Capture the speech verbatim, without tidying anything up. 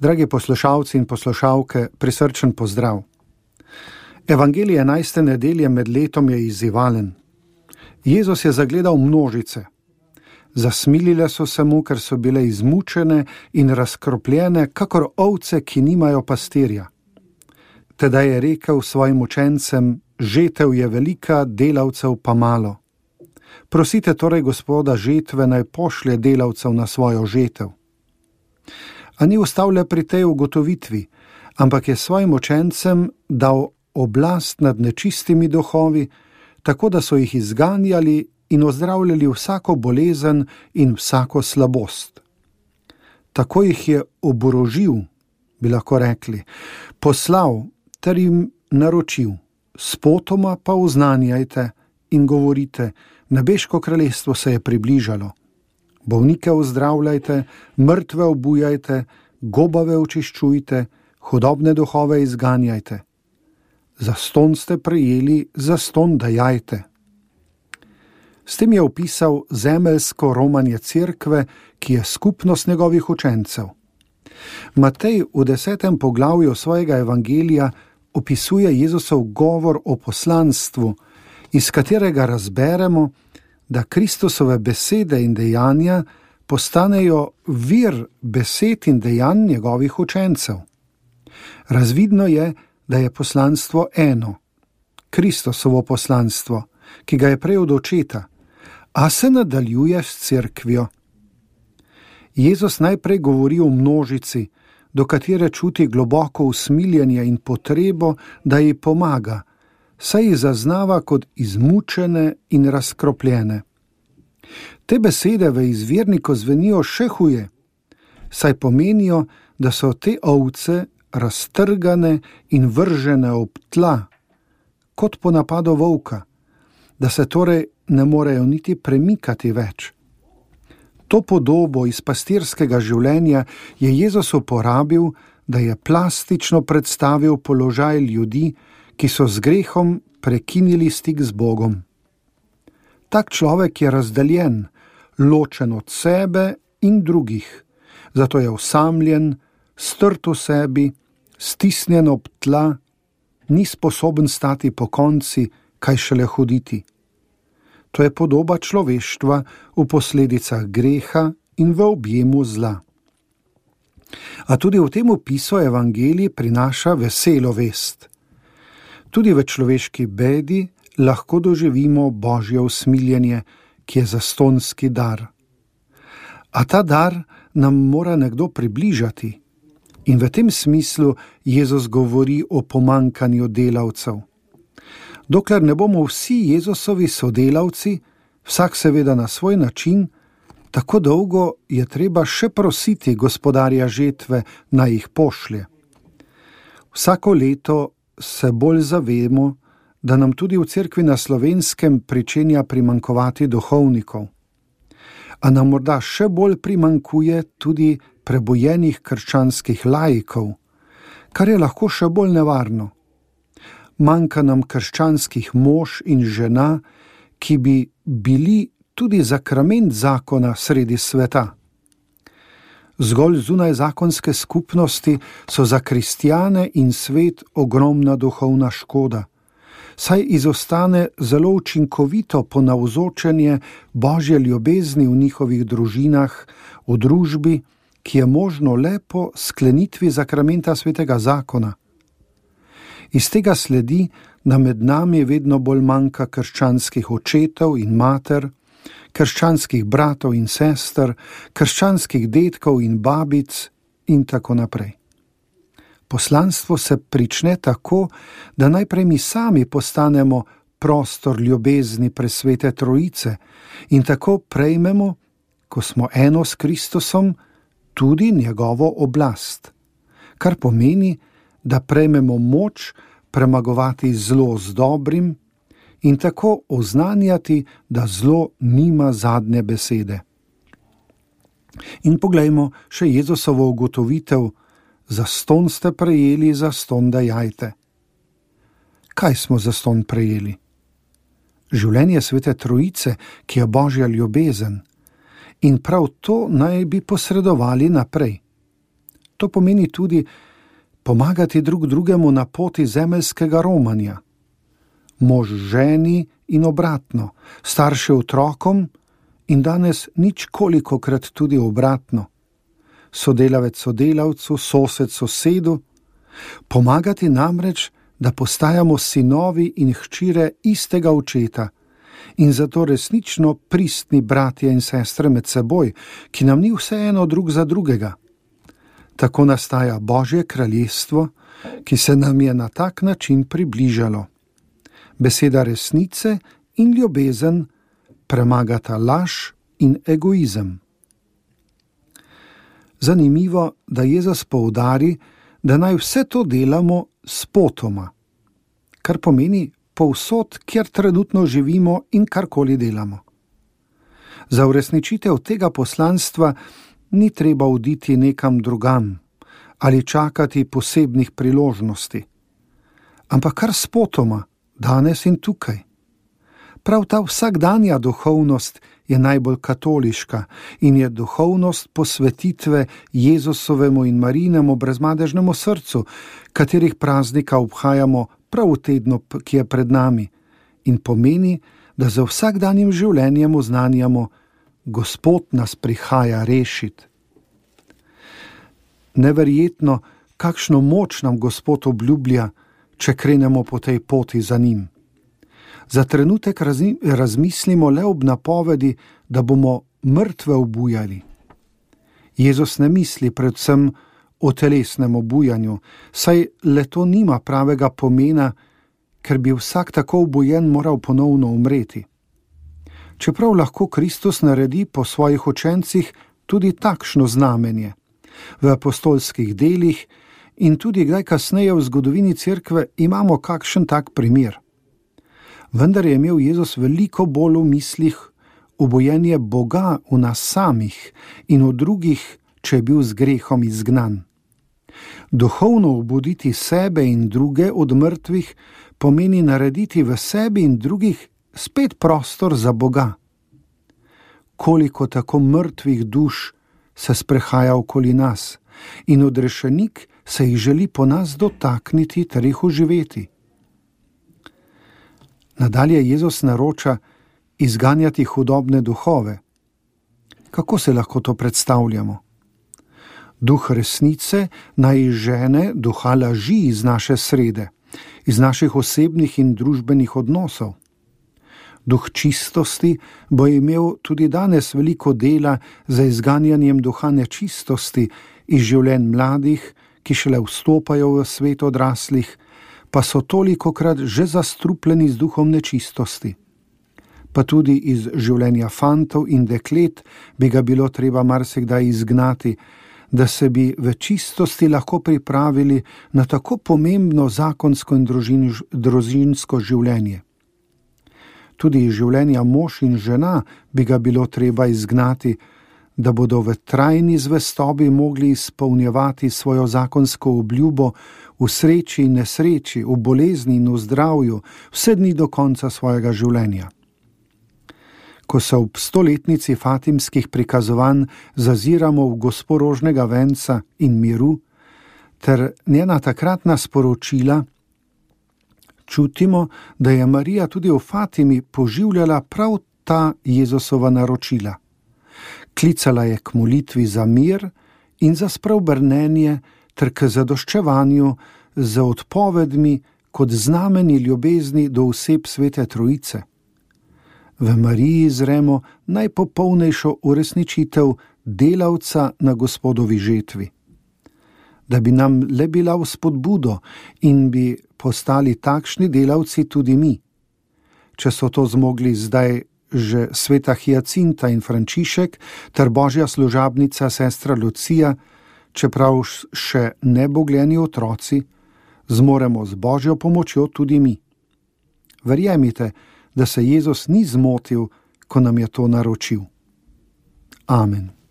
Dragi poslušalci in poslušalke, prisrčen pozdrav. Evangelij enajste nedelje med letom je izzivalen. Jezus je zagledal množice. Zasmilile so se mu, ker so bile izmučene in razkropljene, kakor ovce, ki nimajo pastirja. Tedaj je rekel svojim učencem: žetev je velika, delavcev pa malo. Prosite torej Gospoda žetve, naj pošlje delavcev na svojo žetev. A ni ostal le pri tej ugotovitvi, ampak je svojim učencem dal oblast nad nečistimi duhovi, tako da so jih izganjali in ozdravljali vsako bolezen in vsako slabost. Tako jih je oborožil, bi lahko rekli, poslal ter jim naročil: spotoma pa oznanjajte in govorite, nebeško kraljestvo se je približalo. Bolnike ozdravljajte, mrtve obujajte, gobave očiščujte, hudobne duhove izganjajte. Zastonj ste prejeli, zastonj dajajte. S tem je opisal zemeljsko romanje cerkve, ki je skupnost njegovih učencev. Matej v desetem poglavju svojega evangelija opisuje Jezusov govor o poslanstvu, iz katerega razberemo, da Kristusove besede in dejanja postanejo vir besed in dejanj njegovih učencev. Razvidno je, da je poslanstvo eno, Kristusovo poslanstvo, ki ga je prejel od očeta, a se nadaljuje s cerkvijo. Jezus najprej govori o množici, do katere čuti globoko usmiljenje in potrebo, da ji pomaga, saj jih zaznava kot izmučene in razkropljene. Te besede v izvirniku zvenijo še huje, saj pomenijo, da so te ovce raztrgane in vržene ob tla, kot po napadu volka, da se torej ne morejo niti premikati več. To podobo iz pastirskega življenja je Jezus uporabil, da je plastično predstavil položaj ljudi, ki so z grehom prekinili stik z Bogom. Tak človek je razdeljen, ločen od sebe in drugih, zato je osamljen, strt v sebi, stisnjen ob tla, ni sposoben stati po konci, kaj šele hoditi. To je podoba človeštva v posledicah greha in v objemu zla. A tudi v tem opisu evangelij prinaša veselo vest. Tudi v človeški bedi lahko doživimo Božje usmiljenje, ki je zastonjski dar. A ta dar nam mora nekdo približati. In v tem smislu Jezus govori o pomanjkanju delavcev. Dokler ne bomo vsi Jezusovi sodelavci, vsak seveda na svoj način, tako dolgo je treba še prositi Gospodarja žetve, naj jih pošlje. Vsako leto se bolj zavemo, da nam tudi v cerkvi na Slovenskem pričenja primanjkovati duhovnikov. A nam morda še bolj primanjkuje tudi prebojenih krščanskih laikov, kar je lahko še bolj nevarno. Manjka nam krščanskih mož in žena, ki bi bili tudi zakrament zakona sredi sveta. Zgolj zunaj zakonske skupnosti so za kristjane in svet ogromna duhovna škoda, saj izostane zelo učinkovito ponavzočenje Božje ljubezni v njihovih družinah, v družbi, ki je možno le po sklenitvi zakramenta svetega zakona. Iz tega sledi, da med nami vedno bolj manjka krščanskih očetov in mater, krščanskih bratov in sester, krščanskih dedkov in babic in tako naprej. Poslanstvo se prične tako, da najprej mi sami postanemo prostor ljubezni presvete Trojice in tako prejmemo, ko smo eno s Kristusom, tudi njegovo oblast, kar pomeni, da prejmemo moč premagovati zlo z dobrim in tako oznanjati, da zlo nima zadnje besede. In poglejmo še Jezusovo ugotovitev: zastonj ste prejeli, zastonj dajajte. Kaj smo zastonj prejeli? Življenje svete Trojice, ki je Božja ljubezen, in prav to naj bi posredovali naprej. To pomeni tudi pomagati drug drugemu na poti zemeljskega romanja. Mož ženi in obratno, starše otrokom in danes nič kolikokrat tudi obratno. Sodelavec sodelavcu, sosed sosedu. Pomagati namreč, da postajamo sinovi in hčire istega očeta in zato resnično pristni bratje in sestre med seboj, ki nam ni vseeno drug za drugega. Tako nastaja Božje kraljestvo, ki se nam je na tak način približalo. Beseda resnice in ljubezen premagata laž in egoizem. Zanimivo, da Jezus poudari, da naj vse to delamo spotoma, kar pomeni povsod, kjer trenutno živimo in karkoli delamo. Za uresničitev tega poslanstva ni treba oditi nekam drugam ali čakati posebnih priložnosti, ampak kar spotoma, danes in tukaj. Prav ta vsakdanja duhovnost je najbolj katoliška in je duhovnost posvetitve Jezusovemu in Marijinemu brezmadežnemu srcu, katerih praznika obhajamo prav v tednu, ki je pred nami, in pomeni, da za vsakdanjim življenjem oznanjamo: Gospod nas prihaja rešiti. Neverjetno, kakšno moč nam Gospod obljublja, če krenemo po tej poti za njim. Za trenutek razmislimo le ob napovedi, da bomo mrtve obujali. Jezus ne misli predvsem o telesnem obujanju, saj le to nima pravega pomena, ker bi vsak tako obujen moral ponovno umreti. Čeprav lahko Kristus naredi po svojih učencih tudi takšno znamenje. V apostolskih delih in tudi kdaj kasneje v zgodovini cerkve imamo kakšen tak primer. Vendar je imel Jezus veliko bolj v mislih obojenje Boga v nas samih in v drugih, če je bil z grehom izgnan. Duhovno obuditi sebe in druge od mrtvih pomeni narediti v sebi in drugih spet prostor za Boga. Koliko tako mrtvih duš se sprehaja okoli nas in odrešenik se jih želi po nas dotakniti ter jih oživeti. Nadalje Jezus naroča izganjati hudobne duhove. Kako se lahko to predstavljamo? Duh resnice naj izžene duha laži iz naše srede, iz naših osebnih in družbenih odnosov. Duh čistosti bo imel tudi danes veliko dela za izganjanjem duha nečistosti iz življenj mladih, ki šele vstopajo v svet odraslih, pa so tolikokrat že zastrupljeni z duhom nečistosti. Pa tudi iz življenja fantov in deklet bi ga bilo treba marsikdaj izgnati, da se bi v čistosti lahko pripravili na tako pomembno zakonsko in družinsko življenje. Tudi iz življenja mož in žena bi ga bilo treba izgnati, da bodo v trajni zvestobi mogli izpolnjevati svojo zakonsko obljubo v sreči in nesreči, v bolezni in v zdravju, vse dni do konca svojega življenja. Ko se ob stoletnici fatimskih prikazovanj zaziramo v gospo rožnega venca in miru, ter njena takratna sporočila, čutimo, da je Marija tudi v Fatimi poživljala prav ta Jezusova naročila. Klicala je k molitvi za mir in za spreobrnenje ter k zadoščevanju z odpovedmi kot znameni ljubezni do oseb Svete Trojice. V Mariji zremo najpopolnejšo uresničitev delavca na Gospodovi žetvi. Da bi nam le bila v spodbudo in bi postali takšni delavci tudi mi. Če so to zmogli zdaj že sveta Hyacinta in Frančišek ter božja služabnica sestra Lucija, čeprav še nebogljeni otroci, zmoremo z božjo pomočjo tudi mi. Verjemite, da se Jezus ni zmotil, ko nam je to naročil. Amen.